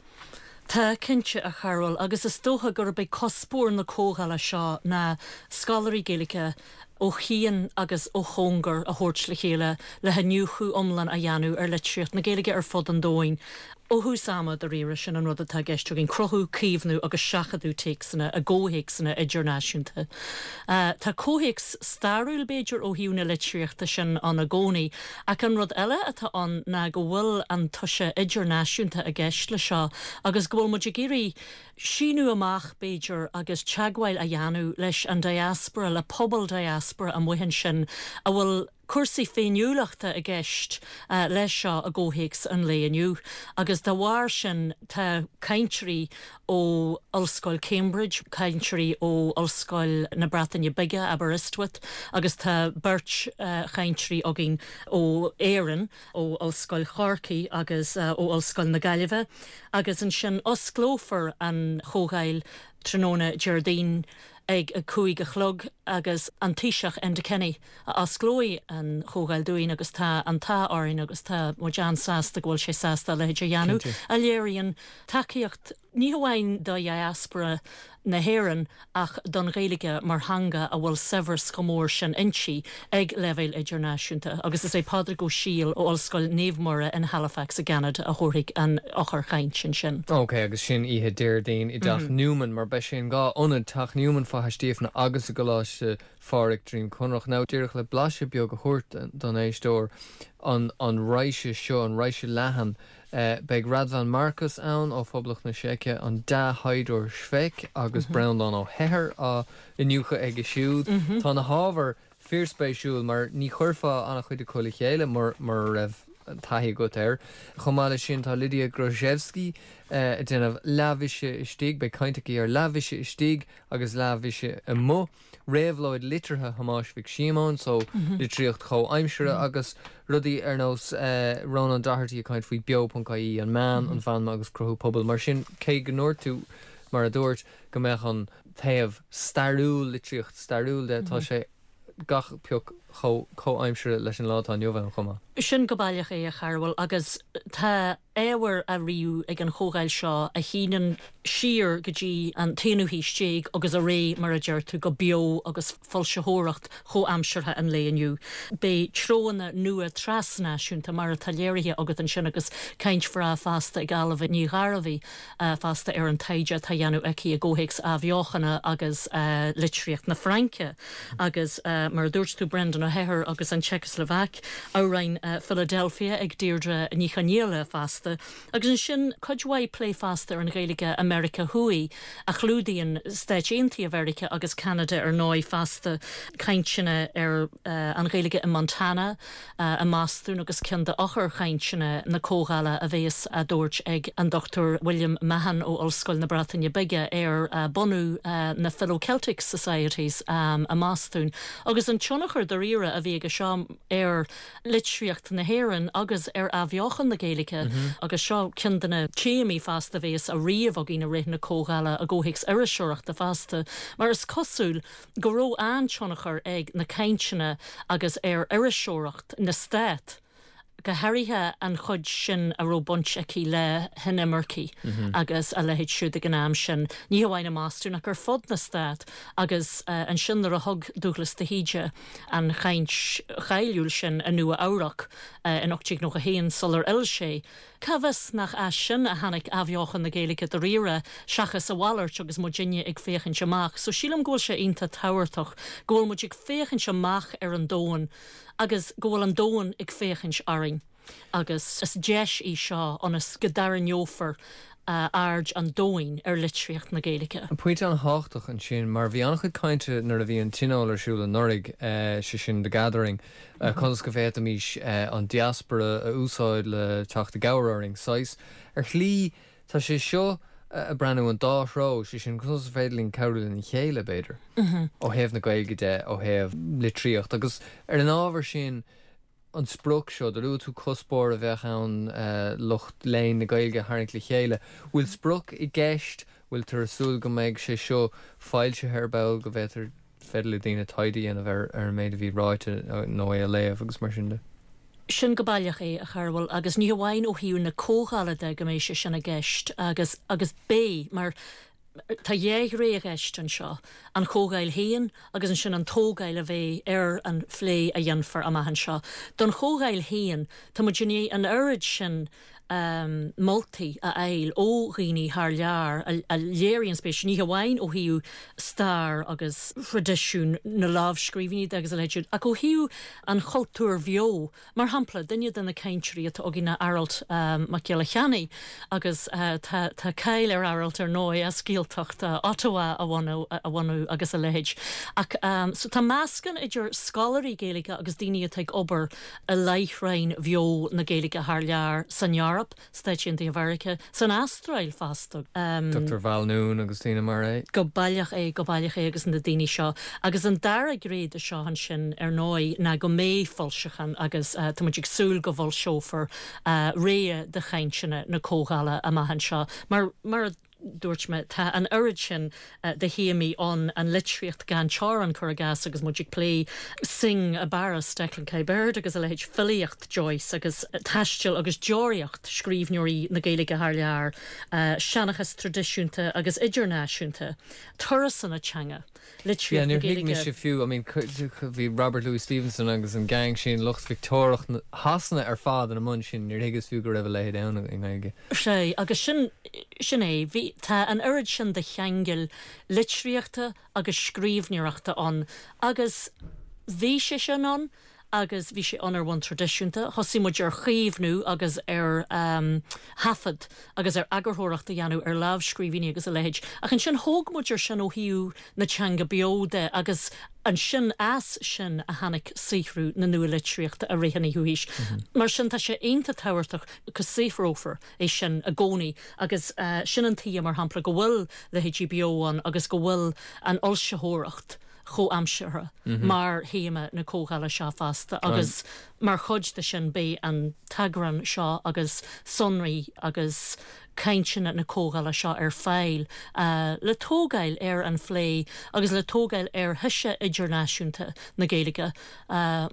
Tá, cinnte, a Chearbhaill, agus is dócha gurb é cuspóir na comhdhála seo ná scoláirí Gaeilge ó chian agus ó chóngar a thabhairt le chéile le hiniúchadh iomlán a dhéanamh ar litríocht na Gaeilge ar fud an domhain. Ó thús ama, dáiríre, sin an rud atá i gceist againn, cruthú, caomhnú agus seachadadh téacsanna i gcomhthéacsanna idirnáisiúnta. Tá comhthéacs stairiúil, b'fhéidir, ó thaobh na litríochta sin ann i gcónaí, ach an rud eile atá ann ná go bhfuil an toise idirnáisiúnta i gceist le seo agus go bhfuil muid ag iarraidh síneadh amach, b'fhéidir, agus teagmháil a dhéanamh leis an diaspora, le pobal diaspora. diaspora amuigh ansin a bhfuil cúrsaí féiniúlachta i gceist leis seo i gcomhthéacs an lae inniu agus dá bharr sin tá cainteoirí ó Ollscoil Cambridge, cainteoirí ó Ollscoil na Breataine Bige, Aberystwyth, agus tá beirt chainteoirí againn ó Éirinn, ó Ollscoil Chorcaí agus ó Ollscoil na Gaillimhe agus ansin osclófar an chomhdháil tráthnóna Déardaoin ag a 5 a chlog agus an Taoiseach Enda Kenny a osclóidh an chomhdháil dúinn agus tá an t-ádh orainn agus tá muid an-sásta go bhfuil sé sásta a leithéid a dhéanamh a léiríonn tacaíocht ní hamháin do dhiaspora na hÉireann ach don Ghaeilge mar theanga a bhfuil saibhreas chomh mór sin inti ag leibhéal idirnáisiúnta agus is é Pádraig Ó Siadhail ó Ollscoil Naomh Muire in Halifax i gCeanada a thabharfaidh an eochairchaint ansin. Ok, agus sin oíche Déardaoin i dTeach Newman, mar beidh sé in dhá ionad, Teach Newman, Faiche Stíofna agus i gColáiste Phádraig, Droim Conrach. Now, díreach le blaiseadh beag a thabhairt don éisteoir, an raidhse seo, an raidhse leathan, Beidh Radvan Markus ann ó Phoblacht na Seice, an dea-thaighdeoir Švejk agus Breandán Ó hEithir á iniúchadh aige siúd. Tá na hábhair fíorspéisiúil mar ní chuirfeá an-chuid acu le chéile mura raibh taithí agat air. Chomh maith leis sin tá Lidia Gruszecki ag déanamh Leathmhise Istigh, beidh caint aici ar Leathmhise Istigh agus Leathmhise Amuigh. Réabhlóid liteartha Thomáis Mhic Síomóin, so litríocht chomhaimseartha agus rudaí ar nós Rónán Doherty ag caint faoi beo.ie, an meán, an mheanma agus cruthú pobail. Mar sin, cé go ndúirt tú, mar a dúirt, go mbeadh an taobh stairiúil, litríocht stairiúil de, tá sé gach pioc chomh comhaimseartha leis an lá atá inniu ann chomh maith. Sin go baileach é, a Chearbhaill, agus tá ábhar á ríomh ag an chomhdháil seo a shíneann siar go dtí an t-aonú haois déag agus ar aghaidh, mar a deir tú, go beo agus foilsitheoireacht chomhaimseartha an lae inniu. Beidh treonna nua trasnáisiúnta, mar atá léirithe agat ansin agus caint bhreá fosta ag Ailbhe Ní Ghairbhí fosta ar an taighde atá á dhéanamh aici i gcomhthéacs athbheochana agus litríocht na Fraince agus, mar a dúirt tú, Brendan Ó hEithir agus an tSeicslóvaic, amhráin Philadelphia ag Deirdre Ní Chonghaile fosta. Agus ansin cuid mhaith plé fosta ar an Ghaeilge i Meiriceá Thuaidh, a chlúdaíonn Stáit Aontaithe Mheiriceá agus Ceanada ar ndóigh fosta, cainteanna ar an Ghaeilge i Montana, i mBostún agus ceann d'eochairchainteanna na comhdhála a bhéas á dtabhairt ag an Dr William Mahon ó Ollscoil na Breataine Bige ar bunú na Philo-Celtic Societies i mBostún agus an tionchar dáiríre a bhí aige seo ar litríocht na hÉireann agus ar athbheochan na Gaeilge agus seo ceann de na téamaí fosta a bhéas á ríomh againn i rith na comhdhála i gcomhthéacs iriseoireachta fosta mar is cosúil go raibh an-tionchar ag na cainteanna agus ar iriseoireacht na Stát, go háirithe an chuid sin a raibh baint aici le hinimircigh agus a leithéid siúd ag an am sin, ní hamháin i mBostún ach ar fud na Stát agus ansin nuair a thug Dúghlas de hÍde an chaint cháiliúil sin i Nua Eabhrac in 1891 sular fhill sé Cá bhfios nach as sin a tháinig athbheochan na Gaeilge dáiríre, seachas a mhalairt agus muidinne ag féachaint amach. So sílim go bhfuil sé iontach tábhachtach go bhfuil muid ag féachaint amach ar an domhan agus go bhfuil an domhan ag féachaint orainn agus is deis í seo ionas go dtarraingeofar aird an domhain ar litríocht na Gaeilge. Pointe an-thábhachtach ansin mar bhí an-chuid cainte nuair a bhí an Tionól ar siúl anuraidh, sé sin The Gathering, conas go bhféadfaimis an diaspora a úsáid le teacht i gcabhair orainn. Saghas, ar shlí, tá sé seo ag breathnú an dá threo, sé sin conas is féidir linn cabhrú lena chéile, b'fhéidir, ó thaobh na Gaeilge de, ó thaobh litríocht agus ar an ábhar sin, an sprioc seo, do luaigh tú cuspóir a bheadh ann lucht léinn na Gaeilge a tharraingt le chéile. Bhfuil sprioc i gceist? Bhfuiltear ag súil go mbeidh sé seo foilsithe ar ball, go bhféadfar, féidir le daoine taighde a dhéanamh ar an méid a bhí ráite nó é a léamh agus mar sin de? Sin go baileach é, a Chearbhaill, agus ní hamháin ó thaobh na comhdhála de go mbeidh sé sin i gceist agus, agus beidh, mar Tá dhá ghné i gceist anseo, an chomhdháil féin agus ansin an tógáil a bheidh ar an phlé a dhéanfar amach anseo. Don chomhdháil féin, tá muid i ndiaidh an oiread sin moltaí a fháil ó dhaoine thar lear a léiríonn spéis, ní hamháin ó thaobh stair agus thraidisiún na lámhscríbhinní de agus a leithéid siúd, ach ó thaobh an chultúir bheo Mar shampla, duine de na cainteoirí atá againn ná Aralt Mac Giolla Cheannaigh agus tá cáil ar Aralt ar ndóigh as Gael. Gaeltachta Ottawa a bhunú agus a leithéid. Ach so tá meascán idir scoláirí Gaeilge agus daoine atá ag obair i láithreáin bheo na Gaeilge thar lear, san Eoraip, Stáit Aontaithe Mheiriceá, san Astráil fosta. Dr Val Noone agus daoine mar é. Go baileach é, go baileach é agus na daoine seo. Agus an dara gné de seo ansin, ar ndóigh, ná go mbeidh foilseachán agus tá muid ag súil go bhfoilseofar rogha de chainteanna na comhdhála amach anseo. Mar, mar a dúirt mé, tá an oiread sin de théamaí ann, an litríocht gan teorainn, cuir i gcás, agus muid ag plé Synge i bPáras, Declan Kiberd agus a leithéid, filíocht Joyce agus taisteal agus deoraíocht scríbhneoirí na Gaeilge thar lear, seanchas traidisiúnta agus idirnáisiúnta, turasanna teanga. Yeah, litríocht na níor thuig Gaeilge. mise fiú, I mean, bhí Robert Louis Stevenson agus an gang sin, lucht Victeoiriach Shasana ar fad ina mbun sin, níor thuigeas fiú go raibh a leithéid ann i nGaeilge. Sea, agus sin, sin é, bhí, tá an oiread sin de cheangail litríochta agus scríbhneoireachta ann agus bhí sé sin ann agus bhí sé ann ar bhonn traidisiúnta. Thosaigh muid ar chaomhnú agus ar thaifead agus ar eagarthóireacht a dhéanamh ar lámhscríbhinní agus a leithéid. Ach ansin thóg muid ar sin ó thaobh na teanga beo de agus ansin as sin a tháinig saothrú na nua-litríochta i rith an fhichiú haois. Mar sin tá sé iontach tábhachtach go saothrófar é sin i gcónaí agus sin an tuige mar shampla go bhfuil leithéidí Beo ann agus go bhfuil an fhoilsitheoireacht chomhaimseartha mar théama na comhdhála seo fosta agus mar chuid de sin beidh an t-eagrán seo agus sonraí agus cainteanna na comhdhála seo ar fáil le tógáil ar an phlé agus le tógáil ar thoise idirnáisiúnta na Gaeilge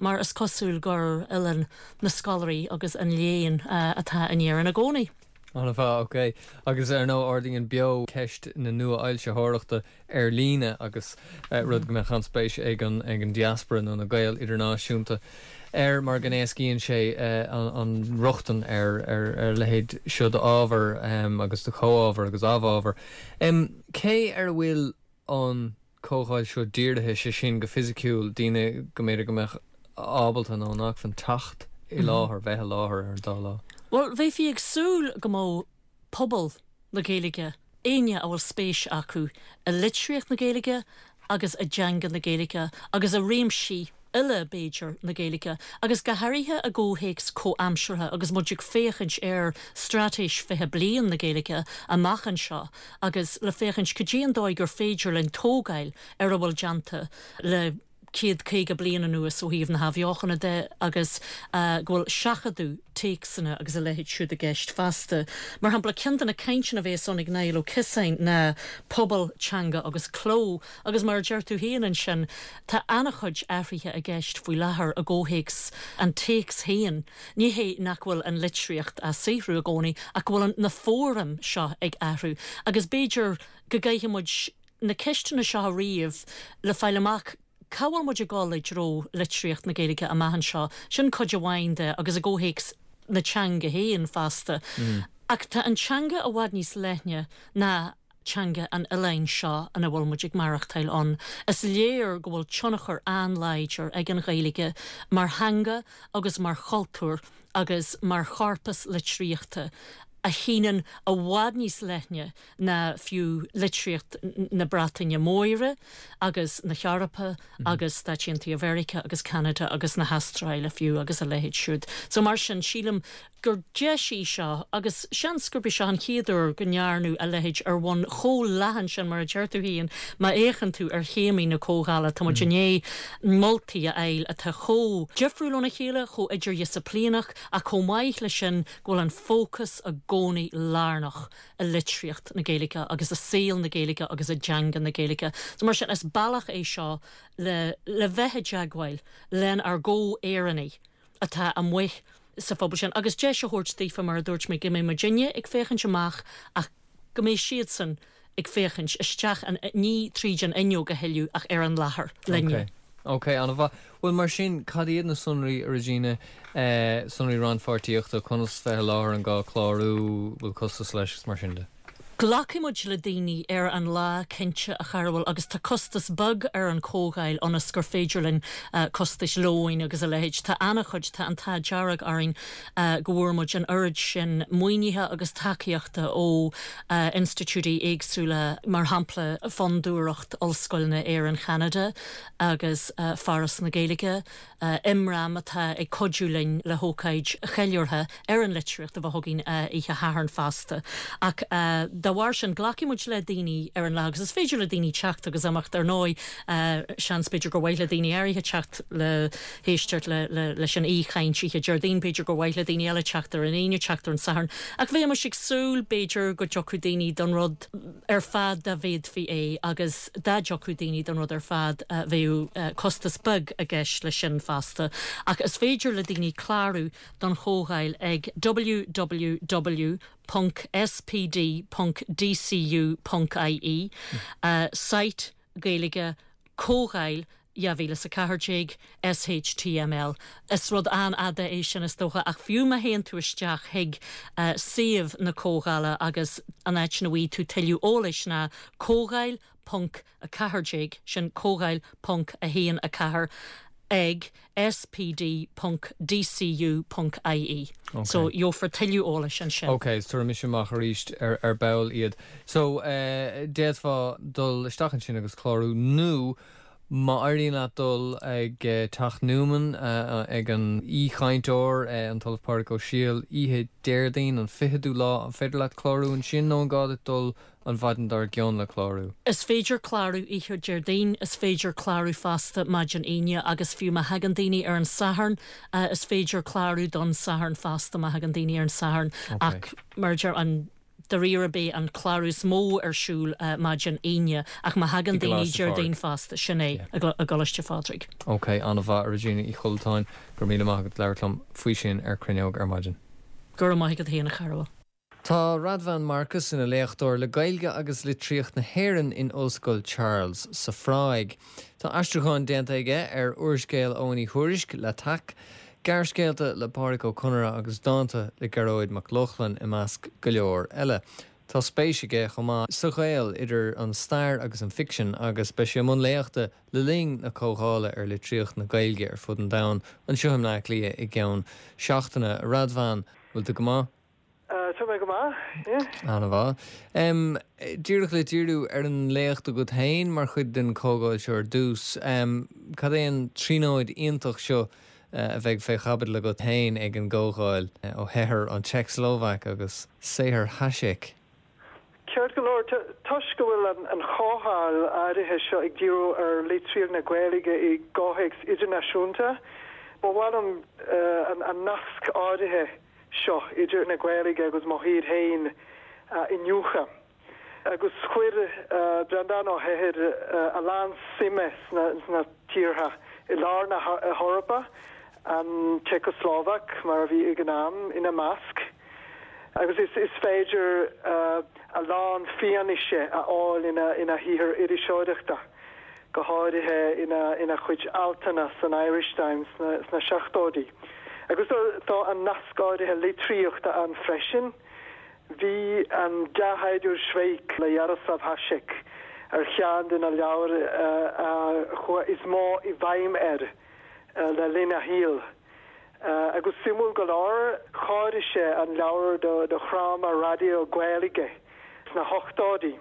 mar is cosúil gur oileán na scoláirí agus an léinn atá in Éirinn i gcónaí. An-mhaith, ok. Agus ar ndóigh ardaíonn Beo ceist na nua-fhoilsitheoireachta ar líne agus rud go mbeadh an-spéis ag an ag an diaspora nó na Gaeil idirnáisiúnta air mar go n-éascaíonn sé an rochtain ar ar a leithéid seo d'ábhar agus de chomhábhar agus amhábhar. Cé ar a bhfuil an comhdháil seo dírithe, sé sin go fisiciúil, daoine go mb'fhéidir go mbeadh ábalta nó in acmhainn teacht i láthair, bheith i láthair ar an dá lá. Bhuel, bheifí ag súil go mbeadh pobal na Gaeilge, éinne a bhfuil spéis acu i litríocht na Gaeilge agus i dteanga na Gaeilge agus i réimsí uile, b'fhéidir, na Gaeilge, agus go háirithe i gcomhthéacs comhaimseartha agus muid ag féachaint ar Straitéis 20 Bliain na Gaeilge amach anseo agus le féachaint cad é an dóigh gur féidir linn tógáil ar a bhfuil déanta le 150 bliain anuas ó thaobh na hathbheochana de agus go bhfuil seachadadh téacsanna agus a leithéid siúd i gceist feasta. Mar shampla, ceann de na cainteanna a bhéas ann ag Niall Ó Ciosáin ná Pobal, Teanga agus Cló agus mar a deir tú féin ansin, tá an-chuid athruithe i gceist faoi láthair i gcomhthéacs an téacs féin. Ní hé nach bhfuil an litríocht á saothrú i gcónaí ach go bhfuil na fóraim seo ag athrú agus b'fhéidir go gcaithfidh muid na ceisteanna seo a ríomh le fáil amach cá bhfuil muid ag dul i dtreo litríocht na Gaeilge amach anseo. Sin cuid amháin de agus i gcomhthéacs na teanga féin fosta. Ach tá an teanga i bhfad níos leithne ná teanga an oileáin seo ina bhfuil muid ag maireachtáil ann. Is léir go bhfuil tionchar an-láidir ag an Ghaeilge mar theanga agus mar chultúr agus mar chorpas litríochta a shíneann i bhfad níos leithne ná fiú litríocht na Breataine Móire agus na hEorpa agus Stáit Aontaithe Mheiriceá agus Ceanada agus na hAstráile fiú agus a leithéid siúd. So mar sin, sílim gur deis í seo agus seans gurb í seo an chéad uair go ndearnadh a leithéid ar bhonn chomh leathan sin mar a deir tú féin má fhéachann tú ar théamaí na comhdhála tá muid i ndiaidh moltaí a fháil atá chomh difriúil óna chéile, chomh idirdhisciplíneach ach chomh maith leis sin go bhfuil an fócas i gcónaí lárnach i litríocht na Gaeilge agus i saol na Gaeilge agus i dteanga na Gaeilge. So mar sin is bealach é seo le le bheith i dteagmháil lenár gcomh-Éireannaigh atá amuigh sa phobal sin agus deis a thabhairt daofa, mar a dúirt mé, go mbeidh muidinne ag féachaint amach ach go mbeidh siadsan ag féachaint isteach, ní tríd an fhuinneog a thuilleadh ach ar an láthair linne. Ok. Ok, an-mhaith. Bhuel, mar sin, cad iad na sonraí, a Regina, sonraí rannpháirtíochta, conas bheith i láthair, an gá clárú, bhfuil costas leis agus mar sin de? Glacfaidh muid le daoine ar an lá, cinnte, a Chearbhaill, agus tá costas beag ar an chomhdháil ionas gur féidir linn costais lóin agus a leithéid. Tá an-chuid, tá an t-ádh dearg orainn go bhfuair muid an oiread sin maoinithe agus tacaíochta ó institiúidí éagsúla, mar shampla Fondúireacht Ollscoileanna Éireann-Cheanada agus Foras na Gaeilge. Imram atá ag cuidiú linn le hócáid cheiliúrtha ar an litríocht a bheith againn oíche Shathairn fosta. Ach dá bharr sin, glacfaidh muid le daoine ar an lá agus is féidir le daoine teacht agus imeacht ar ndóigh. Seans b'fhéidir gur mhaith le daoine áirithe teacht le héisteacht leis an aoichaint oíche Déardaoin, b'fhéidir gur mhaith le daoine eile teacht ar an Aoine, teacht ar an Satharn. Ach bheimis ag súil, b'fhéidir, go dtiocfadh daoine don rud ar fad dá bhféadfaí é agus dá dtiocfadh daoine don rud ar fad bheadh costas beag i gceist leis sin fosta. Ach is féidir le daoine clárú don chomhdháil ag www.spd.dcu.ie, site Gaeilge Comhdháil 2014, SHTML. Is rud an-fhada é sin is dócha, ach fiú má théann tú isteach chuig suíomh na comhdhála agus an áit ina bhfaighidh tú tuilleadh eolais ná comhdháil ponc 14, sin comhdháil ponc 1 4 ag spd ponc dcu ponc ie. So gheofar tuilleadh eolais ansin. Ok, so tabharfaidh mise amach arís ar ball iad. So d'fhéadfá dul isteach ansin agus clárú nó má éiríonn leat dul ag Teach Newman ag an aoichainteoir, an tOllamh Pádraig Ó Siadhail, oíche Déardaoin an ficheadú lá, an féidir leat clárú ansin nó an gá duit dul an mhaidin dár gcionn le clárú? Is féidir clárú oíche Déardaoin, is féidir clárú fosta maidin Aoine agus fiú má thagann daoine ar an Satharn, is féidir clárú don Satharn fosta má thagann daoine ar an Satharn ach mar a deir an dáiríre beidh an clárú is mó ar siúl maidin Aoine ach má thagann daoine Déardaoin fosta, sin é i gColáiste Phádraig. Ok, an-mhaith, a Regina Uí Chollatáin, go raibh míle maith agat labhairt liom faoi sin ar Cruinneog ar maidin. Go raibh maith agat féin, a Chearbhaill. Tá Radvan Markus ina léachtóir le Gaeilge agus Litríocht na hÉireann in Ollscoil Charles sa Phráig. Tá aistriúcháin déanta aige ar úrscéal Eoghain Uí Thuairisc, L'Attaque, gearrscéalta le Pádraic Ó Conaire agus dánta le Gearóid Mac Lochlainn i measc go leor eile. Tá spéis aige chomh maith sa ghaol idir an stair agus an ficsean agus beidh sé i mbun léachta le linn na comhdhála ar litríocht na Gaeilge ar fud an domhain anseo i mBleá Cliath i gceann seachtaine. Radvan, bhfuil tú go maith? Tá mé go maith, yeah. An-mhaith. Díreach le díriú ar an léacht agat féin mar chuid den chomhdháil seo ar dtús, cad é an tríonóid iontach seo a bheidh fé chaibidil agat féin ag an gcomhdháil, Ó hEithir, an tSeicslóvaic agus saothar Hašek? Ceart go leor, toisc go bhfuil an chomhdháil áirithe seo ag díriú ar litríocht na Gaeilge i gcomhthéacs idirnáisiúnta, ba mhaith liom an nasc áirithe seo idir na Gaeilge agus mo thír féin a iniúchadh. Agus chuir Breandán Ó hEithir a lán suime sna tíortha i lár na hEorpa, an tSeicslóvaic mar a bhí ag an am ina measc. Agus is féidir a lán fianaise a fháil ina shaothar iriseoireachta. go háirithe ina chuid altanna san Irish Times sna seachtóidí. Agus tá an nasc áirithe litríochta ann freisin. Bhí An Dea-Shaighdiúir Švejk le Jaroslav Hašek ar cheann de na leabhair a chuaigh is mó i bhfeidhm air le linn a shaoil. Agus suimiúil go leor, chóirigh sé an leabhar do dhráma raidió Gaeilge sna hochtóidí.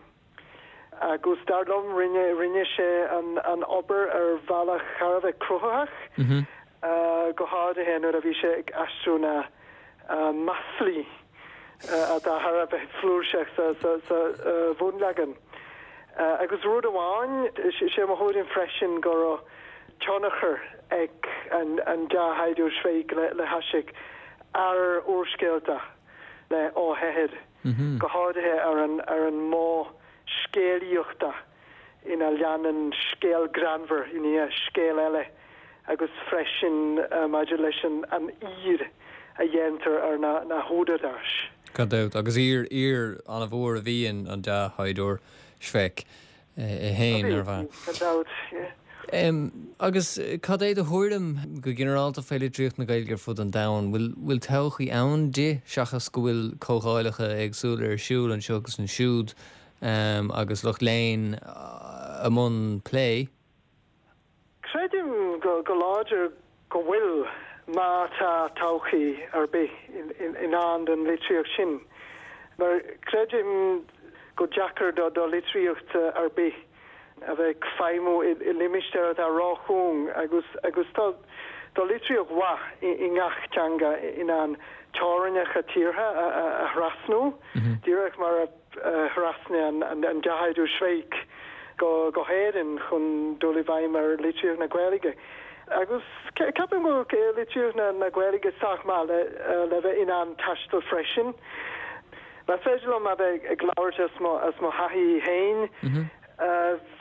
Agus dar liom, rinne, rinne sé an obair ar bhealach thar a bheith cruthaitheach, go háirithe nuair a bhí sé ag aistriú na maslaí atá thar a bheith flúirseach sa bhunleagan. Agus rud amháin, is é mo thuairim freisin go raibh tionchar ag an Dea-Shaighdiúir Švejk le Hašek ar úrscéalta le Ó hEithir. go háirithe ar an ar an modh scéalaíochta ina leanann scéal greannmhar i ndiaidh scéil eile agus freisin maidir leis an an aoir a dhéantar ar na na húdaráis. Gan dabht, agus aoir aoir an-mhór a bhí in An Dea-Shaighdiúir Švejk é féin, nárbh ea? Gan dabht, yeah. Agus cad é do thuairim go ginearálta fé litríocht na Gaeilge ar fud an domhain? Bhfuil bhfuil todhchaí ann di, seachas go bhfuil comhdháileacha éagsúla ar siúl anseo agus ansiúd agus lucht léinn i mbun plé? Creidim go láidir go bhfuil, má tá todhchaí ar bith i ndán don litríocht sin, mar creidim gur deacair do litríocht ar bith a bheith ag feidhmiú i limistéar atá róchúng agus agus tá tá litríocht mhaith i ngach teanga in ann teorainneacha tíortha a thrasnú, díreach mar a thrasnaigh an deathairiú Švejk go hÉirinn chun dul i bhfeidhm ar litríocht na Gaeilge. Agus ceapaim go bhfuil litríocht na Gaeilge sách maith le bheith in ann taisteal freisin. Más féidir liom a bheith ag labhairt as mo as mo thaithí féin,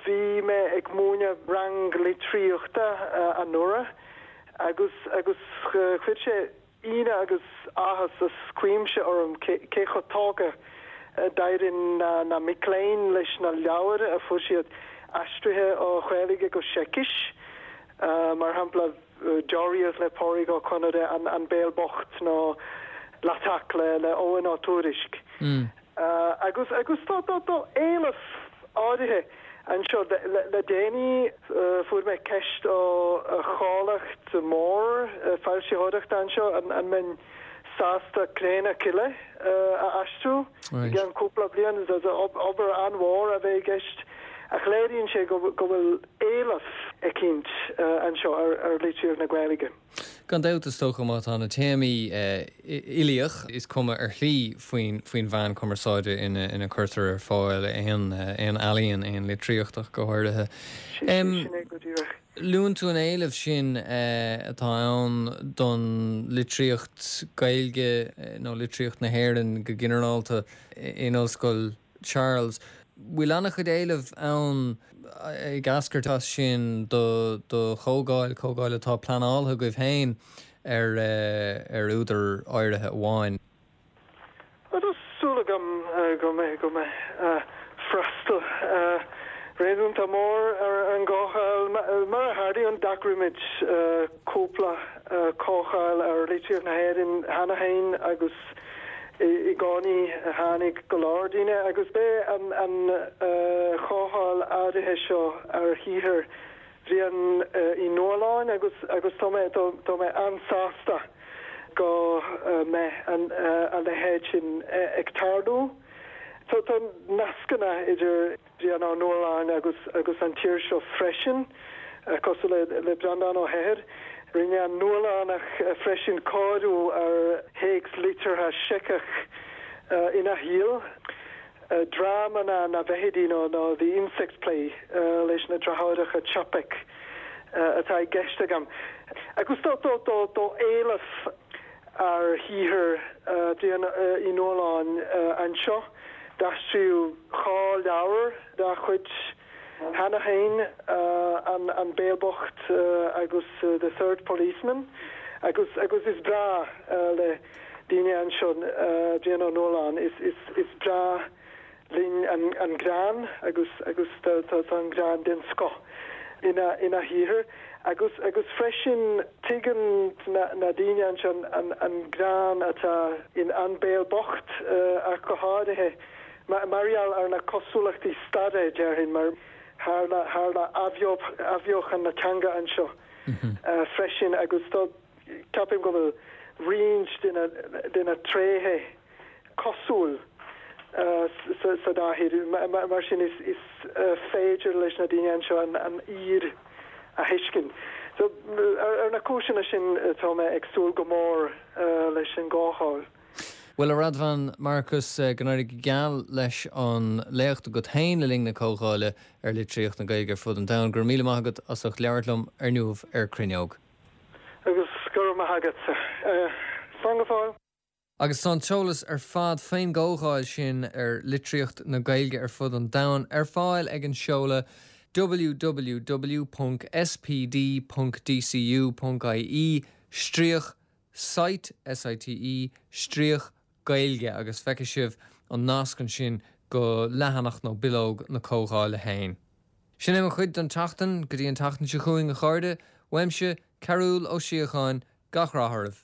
bhí mé ag múineadh rang litríochta anuraidh agus agus chuir sé ionadh agus áthas as cuimse orm cé chomh tógtha a d'éirigh na mic léinn leis na leabhair a fuair siad aistrithe ó Ghaeilge go Seicis, mar shampla Deoraíocht le Pádraig Ó Conaire, An Béal Bocht nó L'Attaque le Eoghan Ó Tuairisg. Agus agus tá tá éileamh áirithe anseo. Le déanaí fuair mé ceist ó chomhlacht mór foilsitheoireachta anseo an mbeinn sásta Cré na Cille a aistriú i gceann cúpla bliain. Is obair an-mhór a bheidh i gceist ach léiríonn sé go bhfuil éileamh eicínt anseo ar litríocht na Gaeilge. Gan dabht, is dócha, má tá na téamaí uilíoch, is cuma ar shlí faoin mheán cumarsáide ina cuirtear ar fáil aon ealaíon, aon litríocht ach go háirithe. Sin é go díreach. Luann tú an éileamh sin atá ann don litríocht Gaeilge nó litríocht na hÉireann go ginearálta in Ollscoil Charles. Bhfuil an-chuid éileamh ann ag eascairt as sin do chomhdháil, comhdháil atá pleanáilte agaibh féin ar ar údar áirithe amháin? Tá súil agam go mbeidh go mbeidh freastal réasúnta mór ar an gcomhdháil. Mar a tharlaíonn, d'eagraigh muid cúpla comhdháil ar litríocht na hÉireann cheana féin agus I gcónaí tháinig go leor daoine agus beidh an chomhdháil áirithe seo ar shaothar Bhriain Uí Nualláin agus agus tá mé tá mé an-sásta go mbeidh a leithéid sin ag tarlú. Tá nascanna idir. Brian Ó Nualláin agus agus an tír seo freisin, cosúil le le Breandán Ó hEithir. Rinne an Nuallánach freisin cóiriú ar théacs liteartha Seiceach ina shaol, Dráma na na bhFeithidí nó nó The Insect Play leis na deartháireacha Čapek atá i gceist agam. Agus tá tá tá tá éileamh ar shaothar Bhriain Uí Nualláin anseo. D'aistríodh 2 leabhar dá chuid cheana féin, An Béal Bocht agus The Third Policeman, agus agus is breá le daoine anseo Brian Ó Nualláin. Is breá linn an greann agus agus tá an greann den scoth ina ina shaothar agus agus freisin tuigeann na daoine anseo an greann atá in An Béal Bocht ach go háirithe mar gheall ar na cosúlachtaí staire déarfainn mar tharla tharla athbheochan na teanga anseo freisin agus tá ceapaim go bhfuil roinnt de na tréithe cosúil sa dá thír. Mar sin is féidir leis na daoine anseo an aoir a thuiscint. So ar na cúiseanna sin tá mé ag súil go mór leis an gcomhdháil. Bhuel, a Radvan Markus, go n-éirí go geal leis an léacht agat féin le linn na comhdhála ar litríocht na Gaeilge ar fud an domhain. Go raibh míle maith agat as ucht labhairt liom ar inniu ar Cruinneog. Agus go raibh maith agatsa. Slán go fóill. Agus tá an t-eolas ar fad faoin gcomhdháil sin ar litríocht na Gaeilge ar fud an domhain ar fáil ag an seoladh www.spd.dcu.ie stríoc site, S-I-T-E, stríoc Gaeilge agus feicfidh sibh an nasc ansin go leathanach nó bileog na comhdhála féin. Sin é mo chuid don tseachtain, go dtí an tseachtain seo chugainn a chairde, uaimse, Cearúll Ó Síocháin, gach rath oraibh.